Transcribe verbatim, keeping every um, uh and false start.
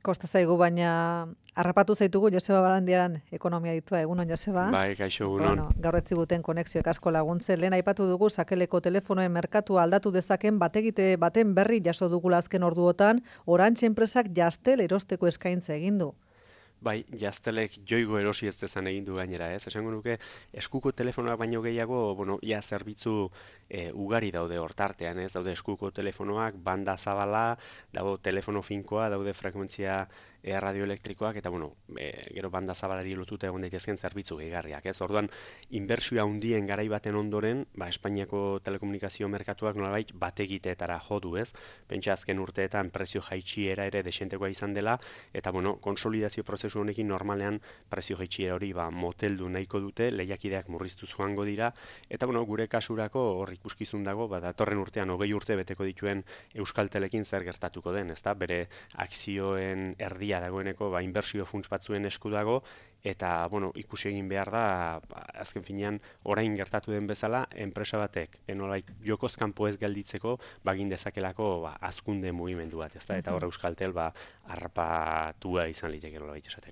Kosta zaigu, baina harrapatu zaitugu Joseba Barandiaran ekonomia ditua. Egunon, Joseba? Bai, kaixo, egunon. Bueno, gaur etziguten konexioek asko laguntzen. Lehen aipatu dugu sakeleko telefonoen merkatua aldatu dezaken bategite baten berri jaso dugula azken orduotan, Orange enpresak Jastel erosteko eskaintza egin du. Bai, Jastelek joigo erosi ez dezan egin du gainera, ez? Esango nuke, eskuko telefonoak baino gehiago, bueno, ia zerbitzu e, ugari daude hortartean, ez? Daude eskuko telefonoak, banda zabala, dago telefono finkoa, daude frekuentzia e, radioelektrikoak, eta, bueno, e, gero banda zabalari lotuta egon daitezken zerbitzu gehigarriak, ez? Orduan, inbertsioa handien garai baten ondoren, ba, Espainiako telekomunikazio merkatuak nolabait bategiteetara jo du, ez? Pentsa azken urteetan prezio jaitsiera ere desentekoa izan dela, eta, bueno, konsolidazio prozesu honekin normalean prezio jaitsiera hori ba, moteldu nahiko dute, lehiakideak murriztuz joango dira, eta bueno, gure kasurako hor ikuskizun dago, ba, datorren urtean hogei urte beteko dituen Euskaltelekin zer gertatuko den, ezta? Bere akzioen erdia dagoeneko ba, inbertsio funts batzuen esku dago, eta bueno, ikusi egin behar da, ba, azken finean orain gertatu den bezala, enpresa batek, enolait jokoz kanpo ez gelditzeko, bagin dezakelako ba, azkunde mugimendu bat, ezta? Eta hor Euskaltel ba, harrapatua izan liteke nolabait esateko.